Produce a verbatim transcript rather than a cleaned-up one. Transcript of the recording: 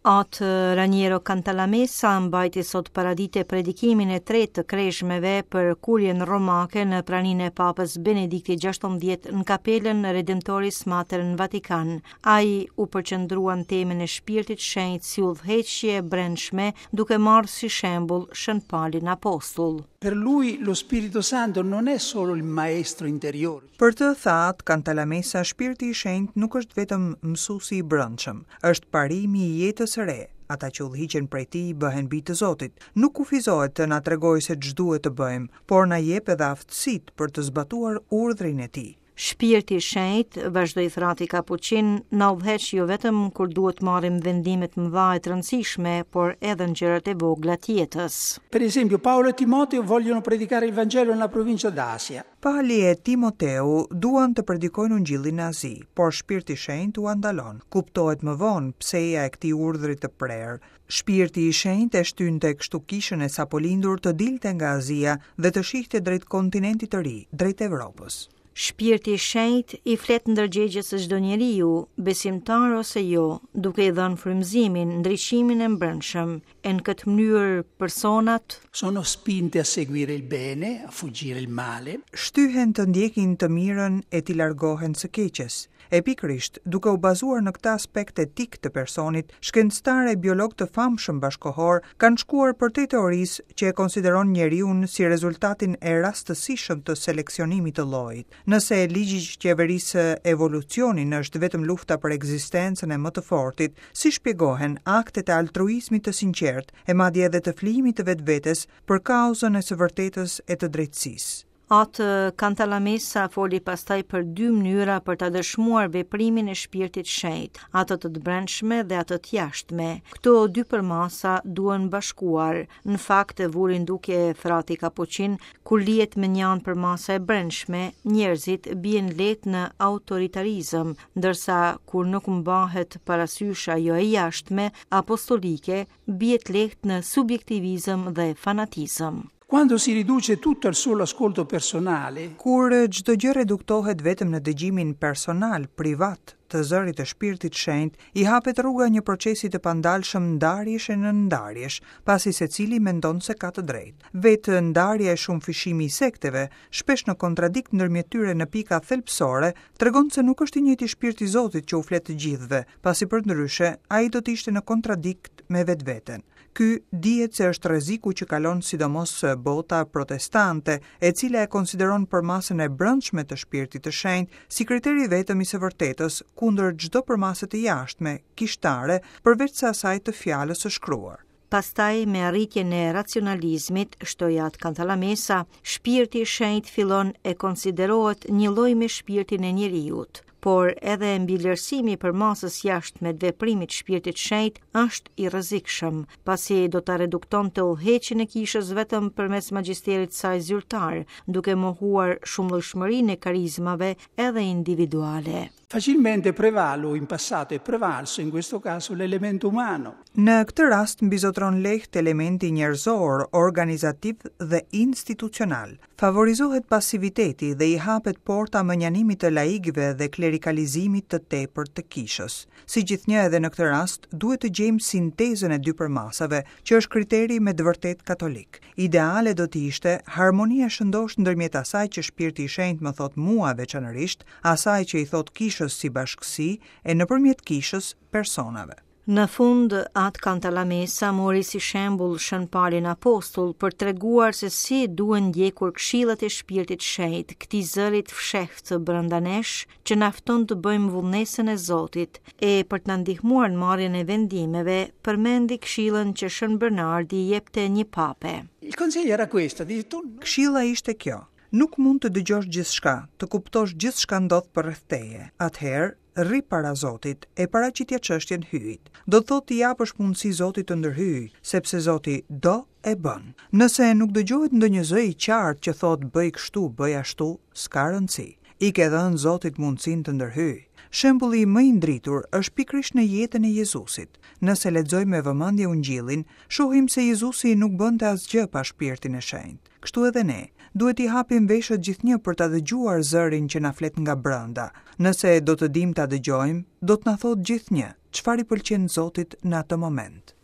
Atë Raniero Cantalamessa mbajti sot paradite predikimin e tretë të kreshmeve për kurjen romake në praninë e Papës Benedikti gjashtëmbëdhjetë në kapelën Redemptoris Mater në Vatikan. Ai u përqendrua në temën e Shpirtit Shenjt si udhëheqje e brendshme, duke marrë si shembull Shën Palin Apostull. Per lui lo Spirito Santo non è solo il maestro interiore. Për të, tha Cantalamessa, Shpirti i Shenjt nuk është vetëm mësuesi i brendshëm, është parimi i jetës së re. Ata që udhëhiqen prej tij bëhen bij të Zotit. Nuk kufizohet të na tregojë se ç'duhet të bëjmë, por na jep edhe aftësitë për të zbatuar urdhrin e tij. Shpirti i Shenjt, vazhdoi frati Kapuçin, na udhëheq jo vetëm kur duhet marrim vendime të mëdha e të rëndësishme, por edhe në gjërat e vogla të jetës. Per esempio, Paolo e Timoteo vogliono predicare il Vangelo nella provincia d'Asia. Pali e Timoteu duan të predikojnë Ungjillin në Azi, por Shpirti i Shenjt ua ndalon. Kuptohet më vonë pseja e këtij urdhri të prerë. Shpirti i Shenjt e shtynte kështu kishën e sapolindur të dilte nga Azia dhe të shihte drejt kontinentit të ri, drejt Evropës. Shpirti i Shenjt i flet ndërgjegjes së çdo njeriu, besimtar ose jo, duke i dhënë frymëzimin, ndriçimin e mbrendshëm. E në këtë mënyrë personat sono spinte a seguire il bene, a fuggire il male. Shtyhen të ndjekin të mirën e t'i largohen së keqes. E pikërisht, duke u bazuar në këtë aspekt etik të personit, shkencëtarë e biolog të famshëm bashkohor kanë shkuar përtej teorisë që e konsideron njeriun si rezultatin e rastësishëm të seleksionimit të llojit. Nëse ligji që qeverisë evolucionin është vetëm lufta për ekzistencën e më të fortit, si shpjegohen aktet e altruizmit të sinqert e madje edhe të flijimit të vetvetes për kauzën e së vërtetës e të drejtësisë? Atë Cantalamessa foli pastaj për dy mënyra për ta dëshmuar veprimin e Shpirtit Shenjt, atë të brendshme dhe atë të jashtme. Këto dy përmasa duhen bashkuar. Në fakt, vuri në dukje frati Kapuçin, kur lihet me një anë përmasa e brendshme, njerëzit bien lehtë në autoritarizëm, ndërsa kur nuk mbahet parasysh ajo e jashtme, apostolike, biet lehtë në subjektivizëm dhe fanatizëm. Quando si riduce tutto al solo ascolto personale, kur çdo gjë reduktohet vetëm në dëgjimin personal, privat, të zërit të Shpirtit Shenjt, i hapet rruga një procesi të pandalshëm ndarjesh e nëndarjesh, pasi secili mendon se ka të drejtë. Vetë ndarja e shumëfishimi i sekteve, shpesh në kontradikt ndërmjet tyre në pika thelbësore, tregon se nuk është i njëjti shpirt i Zotit që u flet të gjithëve, pasi përndryshe ai do të ishte në kontradikt me vetveten. Ky dihet se është rreziku që kalon sidomos bota protestante, e cila e konsideron përmasën e brendshme të Shpirtit të Shenjtë si kriteri vetëm i së vërtetës kundër çdo përmase të jashtme, kishtare, përveç se asaj të fjalës së shkruar. Pastaj, me arritjen e racionalizmit, shtoi atë Cantalamessa, Shpirti i Shenjt fillon e konsiderohet një lloj me shpirtin e njeriut, por edhe mbivlerësimi për masës jashtme të veprimit Shpirtit Shenjt është i rrezikshëm, pasi do ta reduktonte udhëheqjen e kishës vetëm përmes magjisterit saj zyrtar, duke mohuar shumëllojshmërinë e karizmave edhe individuale. Facilmente prevalo in passato e prevalso in questo caso l'elemento umano. Në këtë rast mbizotron lehtë elementi njerëzor, organizativ dhe institucional. Favorizohet pasiviteti dhe i hapet porta mënjanimit të laikëve dhe klerikalizimit të tepërt të kishës. Si gjithnjë edhe në këtë rast, duhet të gjejmë sintezën e dy përmasave, që është kriteri me të vërtetë katolik. Ideale do të ishte harmonia e shëndoshë ndërmjet asaj që Shpirti i Shenjtë më thot mua veçanërisht, asaj që i thot kishës si bashkësi e nëpërmjet kishës personave. Në fund, atë Cantalamessa mori si shembull Shën Palin Apostull për treguar se si duhen ndjekur këshillat e Shpirtit Shenjt, këtij zërit fshehtë brenda nesh që na fton të bëjmë vullnesën e Zotit, e për të na ndihmuar në marrjen e vendimeve, përmendi këshillën që Shën Bernardi jepte një pape. Il consiglio era questo, dice tu Këshilla ishte kjo: nuk mund të dëgjosh gjithçka, të kuptosh gjithçka ndodh përreth teje. Atëherë, rri para Zotit e paraqitja çështjen hyjit. Do të thotë t'i japësh mundësi Zotit të ndërhyjë, sepse Zoti do e bën. Nëse nuk dëgjohet ndonjë zë i qartë që thotë bëj kështu, bëj ashtu, s'ka rëndësi. I ke dhënë Zotit mundësinë të ndërhyjë. Shembulli më i ndritur është pikërisht në jetën e Jezusit. Nëse lexojmë me vëmendje Ungjillin, shohim se Jezusi nuk bënte asgjë pa Shpirtin e Shenjtë. Kështu edhe ne, duhet i hapim veshët gjithnjë për ta dëgjuar zërin që na flet nga brenda. Nëse do të dim ta dëgjojmë, do të na thotë gjithnjë: çfarë i pëlqen Zotit në atë moment.